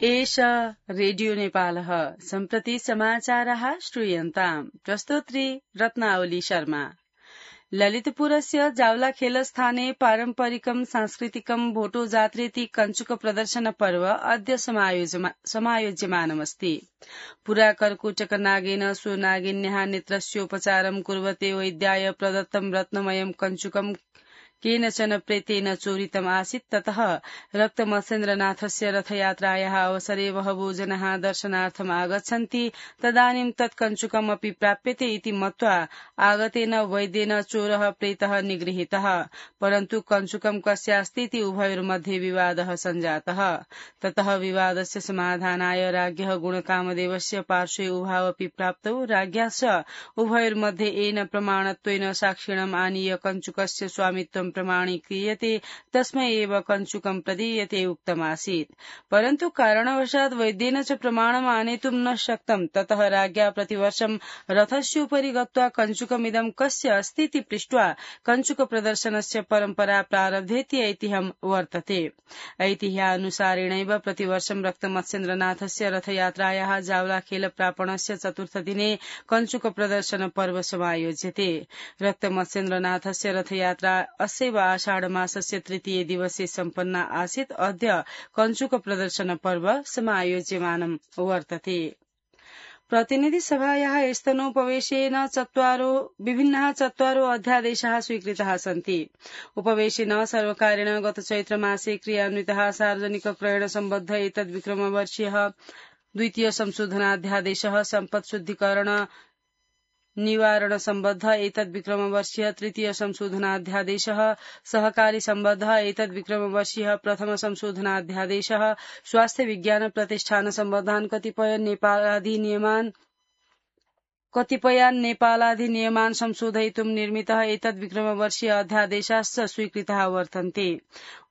एष रेडियो नेपालः सम्प्रति समाचारः श्रूयन्ताम् प्रस्तोत्री रत्नावली शर्मा। ललितपुरस्य जावलाखेलस्थाने पारम्परिकं सांस्कृतिकं भोटो जात्रेति कञ्चुक प्रदर्शन पर्व अद्य समायोज्यमानमस्ति। पुरा कर्कुटक नागेन स्व नागिन्याः नेत्रस्योपचारं कुर्वते वैद्याय प्रदत्तं रत्नमयं कञ्चुकं केनचन प्रेतेन चोरितम् आसीत्। ततः रक्तमत्स्येन्द्रनाथस्य रथयात्रायाः अवसरे बहवो जनाः दर्शनार्थम् आगच्छन्ति। तदानीं तत् कञ्चुकमपि प्राप्यते इति मत्वा आगतेन वैद्येन चोरः प्रेतः निगृहीतः। परन्तु कञ्चुकं कस्यास्ति इति उभयोर्मध्ये विवादः सञ्जातः। ततः विवादस्य समाधानाय राज्ञः गुणकामदेवस्य पार्श्वे उभावपि प्राप्तौ। राज्ञा च उभयोर्मध्ये येन प्रमाणत्वेन साक्षिणम् आनीय कञ्चुकस्य स्वामित्वं प्रमाणीक्रियते तस्मै एव कञ्चुकं प्रदीयते उक्तमासीत्। परन्तु कारणवशात् वैद्येन च प्रमाणम् आनेतुं न शक्तम्। ततः राज्ञा प्रतिवर्षं रथस्योपरि गत्वा कञ्चुकमिदं कस्य अस्ति इति पृष्ट्वा कञ्चुक प्रदर्शनस्य परम्परा प्रारब्धेति ऐतिह्यं वर्तते। ऐतिह्यानुसारेणैव प्रतिवर्षं रक्तमत्स्येन्द्रनाथस्य रथयात्रायाः जावलाखेल प्रापणस्य चतुर्थदिने कञ्चुक प्रदर्शन पर्व समायोज्यते। रक्तमत्स्येन्द्रनाथस्य रथयात्रा अस्यैव आषाढमासस्य तृतीये दिवसे सम्पन्ना आसीत्। अद्य कञ्चुक प्रदर्शन पर्व समायोज्यमानं वर्तते। प्रतिनिधि सभायाः स्तनोपवेशेन विभिन्नाः चत्वारो अध्यादेशाः स्वीकृताः सन्ति। उपवेशेन सर्वकारेण गत चैत्रमासे क्रियान्वितः सार्वजनिक क्रयण सम्बद्ध एतद्विक्रमवर्षीयः द्वितीय संशोधनाध्यादेशः, सम्पत् शुद्धिकरण निवारण सम्बद्ध एतद्विक्रमवर्षीयः तृतीय संशोधनाध्यादेशः, सहकारी सम्बद्ध एतद्विक्रमवर्षीयः प्रथम संशोधनाध्यादेशः, स्वास्थ्य विज्ञान प्रतिष्ठान सम्बद्धान् कतिपयान् नेपालाधिनियमान् संशोधयितुं निर्मितः एतद्विक्रमवर्षीय अध्यादेशाश्च स्वीकृताः वर्तन्ते।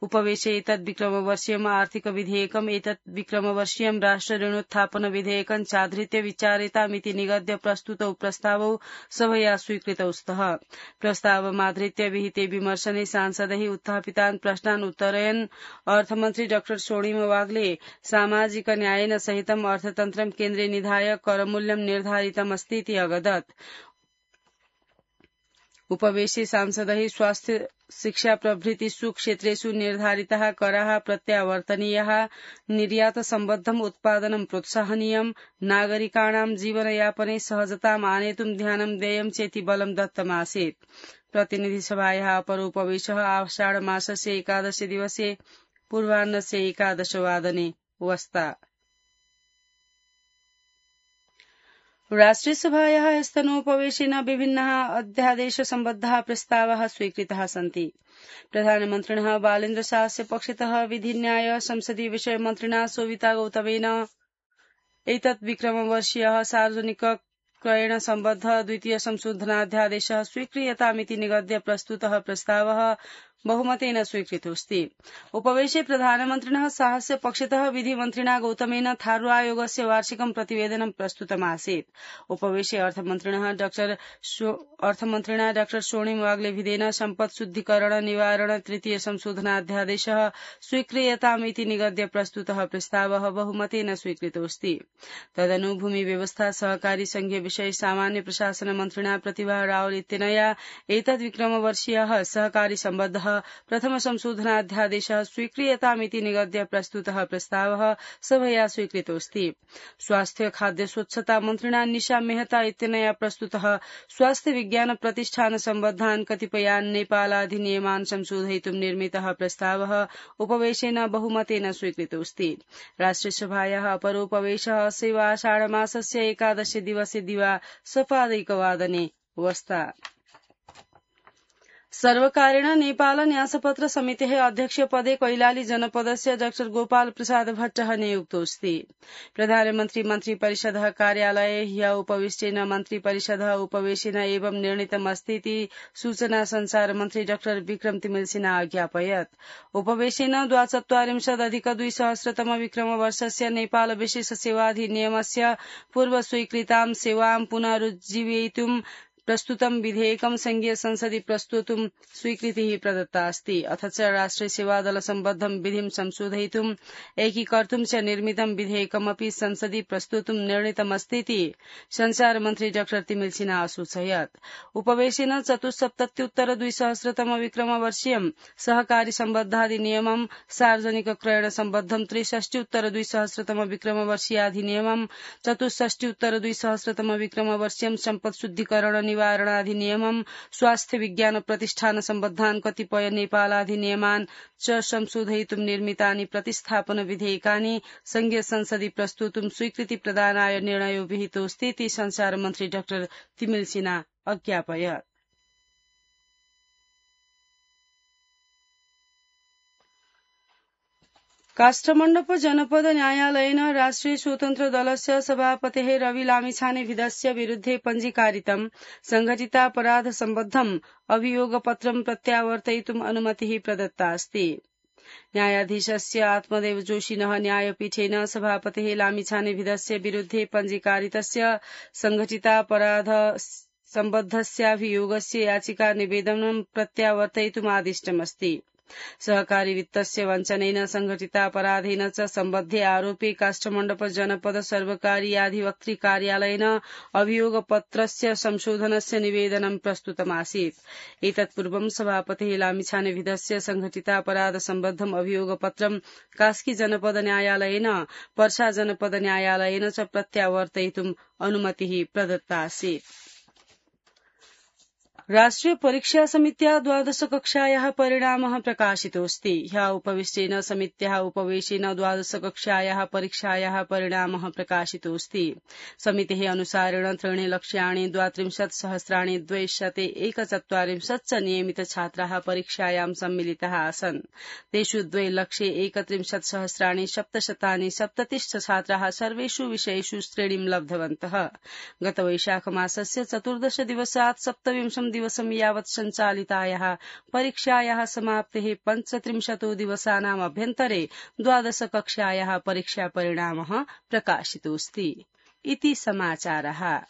उपवेशे एतद्विक्रमवर्षीयम् आर्थिक विधेयकम् एतद्विक्रमवर्षीयम् राष्ट्र ऋणोत्थापन विधेयकम् चाधृत्य विचारितामिति निगद्य प्रस्तुतौ प्रस्तावौ सभया स्वीकृतौ स्तः। प्रस्तावमाधृत्य विहिते विमर्शने सांसदैः उत्थापितान् प्रश्नान् उत्तरयन् अर्थमन्त्री डाक्टर स्वर्णिम वाग्ले सामाजिक न्यायेन सहितम् अर्थतन्त्रं केन्द्रे निधाय करमूल्यं निर्धारितमस्ति अगदत्। उपवेशे सांसदैः स्वास्थ्य शिक्षा प्रभृतिषु क्षेत्रेषु निर्धारिताः कराः प्रत्यावर्तनीयाः, निर्यात सम्बद्धम् उत्पादनं प्रोत्साहनीयम्, नागरिकाणां जीवनयापने सहजताम् आनेतुं ध्यानं देयं चेति बलं दत्तमासीत्। प्रतिनिधिसभायाः अपरोपवेशः आषाढमासस्य 11 दिवसे पूर्वाह्नस्य 11 वादने वस्ता। राष्ट्रियसभायाः स्तनोपवेशेन विभिन्नाः अध्यादेश सम्बद्धाः प्रस्तावाः स्वीकृताः सन्ति। प्रधानमन्त्रिणः बालेन्द्र शाहस्य पक्षतः विधिन्याय संसदीय विषय मन्त्रिणा सोविता गौतमेन एतद्विक्रमवर्षीयः सार्वजनिक क्रयण सम्बद्ध द्वितीय संशोधनाध्यादेशः स्वीक्रियतामिति निगद्य प्रस्तुतः प्रस्तावः बहुमतेन स्वीकृतोऽस्ति। उपवेशे प्रधानमन्त्रिणः शाहस्य पक्षतः विधिमन्त्रिणा गौतमेन थारू आयोगस्य वार्षिकं प्रतिवेदनं प्रस्तुतमासीत्। उपवेशे अर्थमन्त्रिणा डाक्टर स्वर्णिम वाग्लेभिदेन सम्पत् शुद्धिकरण निवारण तृतीय संशोधनाध्यादेशः स्वीक्रियतामिति निगद्य प्रस्तुतः प्रस्तावः बहुमतेन स्वीकृतोऽस्ति। तदनु भूमि व्यवस्था सहकारी संघीय विषय सामान्य प्रशासन मन्त्रिणा प्रतिभा रावल इत्यनया एतद्विक्रमवर्षीयः सहकारी सम्बद्धः प्रथम संशोधनाध्यादेशः स्वीक्रियतामिति निगद्य प्रस्तुतः प्रस्तावः सभया स्वीकृतोऽस्ति। स्वास्थ्य खाद्य स्वच्छता मन्त्रिणा निशा मेहता इत्यनया प्रस्तुतः स्वास्थ्य विज्ञान प्रतिष्ठान सम्बद्धान् कतिपयान् नेपालाधिनियमान् संशोधयितुं निर्मितः प्रस्तावः उपवेशेन बहुमतेन स्वीकृतोऽस्ति। राष्ट्रियसभायाः अपरोपवेशः अस्यैव आषाढमासस्य 11 दिवसे दिवा सपादैकवादने वस्ता। सर्वकारेण नेपाल न्यासपत्र समितेः अध्यक्षपदे कैलाली जनपदस्य डाक्टर गोपाल प्रसाद भट्टः नियुक्तोऽस्ति। प्रधानमन्त्री मन्त्रिपरिषदः कार्यालये ह्यः उपविष्टेन मन्त्रिपरिषदः उपवेशेन एवं निर्णीतमस्ति इति सूचना संचार मन्त्री डाक्टर विक्रम तिमिलसिना अज्ञापयत्। उपवेशेन 42+200 विक्रमवर्षस्य नेपाल विशेष सेवाधिनियमस्य पूर्व स्वीकृतां सेवां पुनरुज्जीवयितुं प्रस्तुतं विधेयकं संघीय संसदि प्रस्तोतुं स्वीकृतिः प्रदत्ता अस्ति। अथ च राष्ट्रिय सेवादल सम्बद्धं विधिं संशोधयितुं एकीकर्तुं च निर्मितं विधेयकमपि संसदि प्रस्तोतुं निर्णीतमस्तीति संचार मन्त्री डाक्टर तिमिल सिन्हा असूचयत्। उपवेशेन चतुस्सप्तत्युत्तर 2000 विक्रमवर्षीयं सहकारी सम्बद्धाधिनियमं सार्वजनिक क्रयण सम्बद्धं 63 2000 विक्रमवर्षीयाधिनियमं 64 2000 विक्रमवर्षीयं सम्पत् शुद्धिकरण निवारणाधिनियमं स्वास्थ्य विज्ञान प्रतिष्ठान सम्बद्धान् कतिपय नेपालाधिनियमान् च संशोधयितुं निर्मितानि प्रतिस्थापन विधेयकानि संघीय संसदि प्रस्तोतुं स्वीकृति प्रदानाय निर्णयो विहितोऽस्तीति संचार मन्त्री डाक्टर तिमिल सिन्हा अज्ञापयत्। काष्ठमण्डप जनपद न्यायालयेन राष्ट्रिय स्वतन्त्र दलस्य सभापतेः रवि लामिछानेविधस्य विरुद्धे पञ्जीकारितं संघटितापराध सम्बद्धम् अभियोगपत्रं प्रत्यावर्तयितुम् अनुमतिः प्रदत्ता अस्ति। न्यायाधीशस्य आत्मदेव जोशिनः न्यायपीठेन सभापतेः लामिछानेविधस्य विरुद्धे पञ्जीकारितस्य संघटितापराध सम्बद्धस्याभियोगस्य याचिका निवेदनं प्रत्यावर्तयितुम् आदिष्टमस्ति। सहकारी वित्तस्य वञ्चनेन संघटितापराधेन च सम्बद्धे आरोपे काष्ठमण्डप जनपद सर्वकारीयाधिवक्तृ कार्यालयेन अभियोगपत्रस्य संशोधनस्य निवेदनं प्रस्तुतमासीत्। एतत्पूर्वं सभापतिः लामिछानेविधस्य संघटितापराध सम्बद्धम् अभियोगपत्रं कास्की जनपद न्यायालयेन पर्सा जनपद न्यायालयेन च प्रत्यावर्तयितुम् अनुमतिः प्रदत्ता आसीत्। राष्ट्रिय परीक्षा समित्या 12 कक्षायाः परिणामः प्रकाशितोऽस्ति। ह्यः उपविष्टेन समित्याः उपवेशेन 12 कक्षायाः परीक्षायाः परिणामः प्रकाशितोऽस्ति। समितेः अनुसारेण 3 लक्ष्याणि 32,241 च नियमित छात्राः परीक्षायां सम्मिलिताः आसन्। तेषु 2,31,737 छात्राः सर्वेषु विषयेषु श्रेणीं लब्धवन्तः। गत वैशाखमासस्य 14 दिवसात् 27 दिवसं यावत् सञ्चालितायाः परीक्षायाः समाप्तेः 35 दिवसानाम् अभ्यन्तरे 12 कक्षायाः परीक्षा परिणामः प्रकाशितोऽस्ति। इति समाचारः।